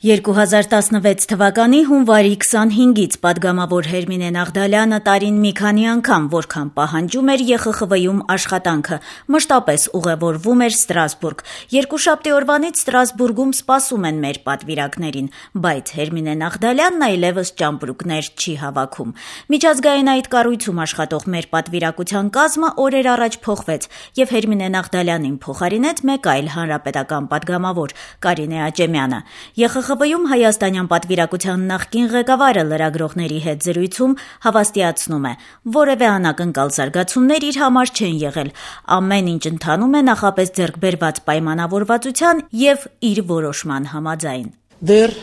2016 թվականի հունվարի 25-ից պատգամավոր Հերմինե Նաղդալյանը տարին մի քանի անգամ, որքան պահանջում էր ԵԽԽՎ-ում աշխատանքը, մշտապես ուղևորվում էր Ստրասբուրգ։ Երկուշաբթի օրվանից Ստրասբուրգում սպասում են մեր պատվիրակներին, բայց Հերմինե Նաղդալյանն այլևս ճամպրուկներ չի հավաքում։ Միջազգային այդ կառույցում աշխատող մեր պատվիրակության կազմը օրեր առաջ փոխվեց եւ Հերմինե Նաղդալյանին փոխարինեց մեկ այլ հանրապետական պատգամավոր՝ Կարինե Աճեմյանը։ ԵԽԽՎ-ում հայաստանյան պատվիրակության նախկին ղեկավարը լրագրողների հետ զրույցում հավաստիացնում է, որևէ անակնկալ զարգացումներ իր համար չեն եղել, ամեն ինչ ընթանում է նախապես ձեռք բերված պայմանավորվածության եւ իր որոշման համաձայն։ Դեռ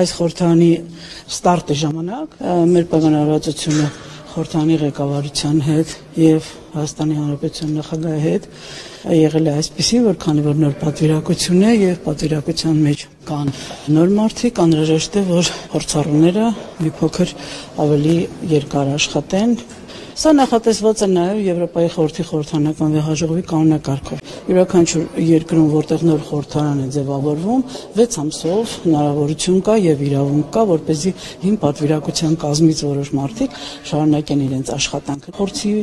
այս խորհրդանի ստարտի ժամանակ մեր պայմանավորվածությունը խորհրդանի ղեկավարության հետ եւ Հայաստանի Հանրապետության նախագահի հետ եղել է այսպեսի, որ քանի որ նոր պատվիրակություն է եւ պատվիրակության մեջ կան նոր մարդիկ, անհրաժեշտ է, որ փորձառուները մի փոքր ավելի երկար աշխատեն։ Սա նախատեսված է նաև Եվրոպայի խորհրդի խորհրդանական վեհաժողովի կանոնակարգով։ Յուրաքանչյուր երկրում, որտեղ նոր խորհրդարան է ձևավորվում, 6 ամսով հնարավորություն կա եւ իրավունք կա, որպեսզի հին պատվիրակության կազմից որոշ մարդիկ շարունակեն իրենց աշխատանքը։ Խորհրդի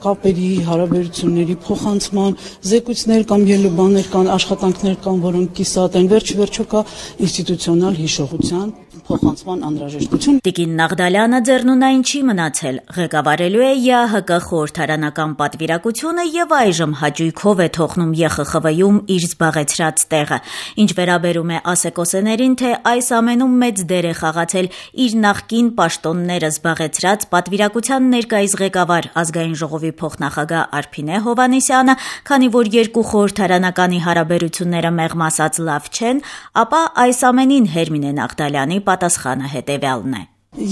կապերի, հարաբերությունների փոխանցման, զեկույցներ կամ ելուբաներ կան, աշխատանքներ կան, որոնք կիսատ են, վերջիվերջո կա ինստիտուցիոնալ հիշողության փոխանցման անհրաժեշտություն։ Տիկին Նաղդալյանը ձեռնունայն չի մնացել, ղեկավարելու է ԵԱՀԿ խորհրդարանական պատվիրակությունը եւ այժմ հաճույքով է թողնում ԵԽԽՎ-ում իր զբաղեցրած տեղը։ Ինչ վերաբերում է ասեկոսեներին, թե այս ամենում մեծ դեր է խաղացել իր նախկին պաշտոնները զբաղեցրած պատվիրակության ներկայիս ղեկավար ազգային ժողովի փոխնախագահ Արփինե Հովհաննիսյանը, քանի որ երկու խորհրդարանականի հարաբերությունները մեղմ ասած լավ չեն, ապա այս ամենին Հերմինե Նաղդալյանի պատասխանը հետեւյալն է։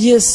Ես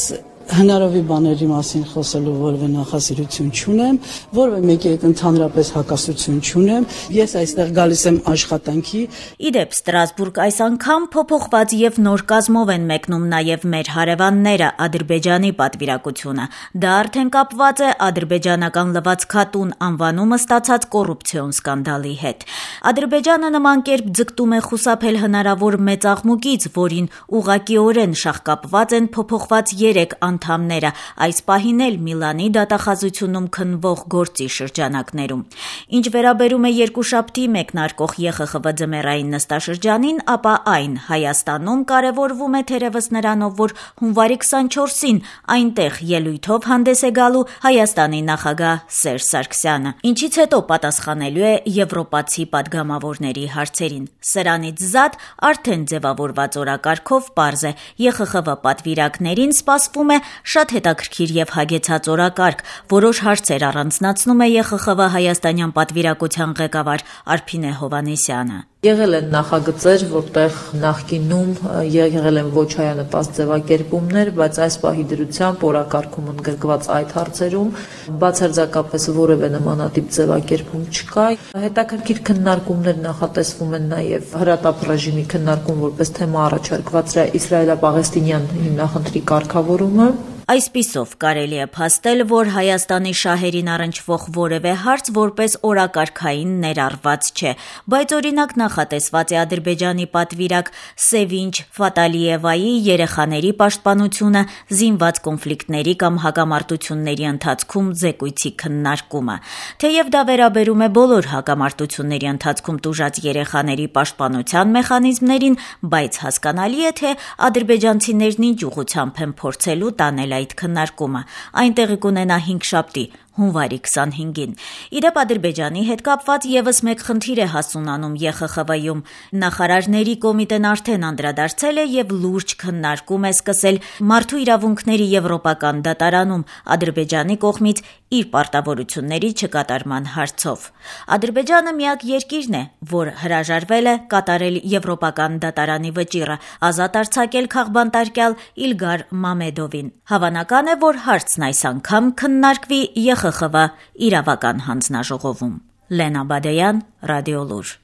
հնարավոր բաների մասին խոսելու որևէ նախասիրություն չունեմ, որևէ մեկի հետ ընդհանրապես հակասություն չունեմ։ Ես այստեղ գալիս եմ աշխատանքի։ Իդեպ Ստրասբուրգ այս անգամ փոփոխված եւ նոր կազմով են մեկնում նաեւ մեր հարևանները Ադրբեջանի պատվիրակությունը։ Դա արդեն կապված է ադրբեջանական լվացքատուն անվանումը ստացած կոռուպցիոն սկանդալի հետ։ Ադրբեջանը նման կերպ ձգտում է խուսափել հնարավոր մեծ աղմուկից, որին ուղղակիորեն շահկապված են փոփոխված 3 անդամները, այս պահին էլ Միլանի դատախազությունում քննվող գործի շրջանակներում։ Ինչ վերաբերում է երկուշաբթի մեկնարկող ԵԽԽՎ ձմեռային նստաշրջանին, ապա այն Հայաստանում կարևորվում է թերևս նրանով, որ հունվարի 24-ին այնտեղ ելույթով հանդես է գալու Հայաստանի նախագահ Սերժ Սարգսյանը, ինչից հետո պատասխանելու է եվրոպացի պատգամավորների հարցերին։ Սրանից զատ արդեն ձևավորված օրակարգով պարզ է, ԵԽԽՎ պատվիրակներին սպասվում է շատ հետաքրքիր եւ հագեցած օրակարգ, որոշ հարցեր առանձնացնում է ԵԽԽՎ հայաստանյան պատվիրակության ղեկավար Արփինե Հովհաննիսյանը։ Եղել են նախագծեր, որտեղ նախկինում եղել են ոչ հայանպաստ ձևակերպումներ, բայց այս պահի դրությամբ օրակարգում ընդգրկված այդ հարցերում բացարձակապես որևէ նմանատիպ ձևակերպում չկա։ Հետաքրքիր քննարկումներ նախատեսվում են նաև հրատապ ռեժիմի քննարկում, որպես թեմա առաջարկված է իսրայելա-պաղեստինյան հիմնախնդրի կարգավորումը։ Այսպիսով կարելի է փաստել, որ Հայաստանի շահերին առնչվող որևէ հարց որպես օրակարգային ներառված չէ, բայց օրինակ նախատեսված է Ադրբեջանի պատվիրակ Սևինչ Ֆատալիևայի երեխաների պաշտպանությունը զինված կոնֆլիկտների կամ հակամարտությունների ընթացքում զեկույցի քննարկումը։ Թեև դա վերաբերում է բոլոր հակամարտությունների ընթացքում տուժած երեխաների պաշտպանության մեխանիզմներին, բայց հասկանալի է, թե ադրբեջանցիներն ինչ ուղղությամբ են փորձելու տանել այդ քննարկումը։ Այն տեղի կունենա 5շաբթի, հունվարի 25-ին։ Իդեպ Ադրբեջանի հետ կապված եւս մեկ խնդիր է հասունանում ԵԽԽՎ-ում։ Նախարարների կոմիտեն արդեն անդրադարձել է եւ լուրջ քննարկում է սկսել մարդու իրավունքների եվրոպական դատարանում Ադրբեջանի կողմից իր պարտավորությունների չկատարման հարցով։ Ադրբեջանը միակ երկիրն է, որ հրաժարվել է կատարել եվրոպական դատարանի վճիռը, ազատ արձակել քաղբանտարկյալ Իլգար Մամեդովին։ Հավանական է, որ հարցն այս անգամ քննարկվի ԵԽԽՎ իրավական հանձնաժողովում։ Լենա Բադեյան, Ռադիոլուր։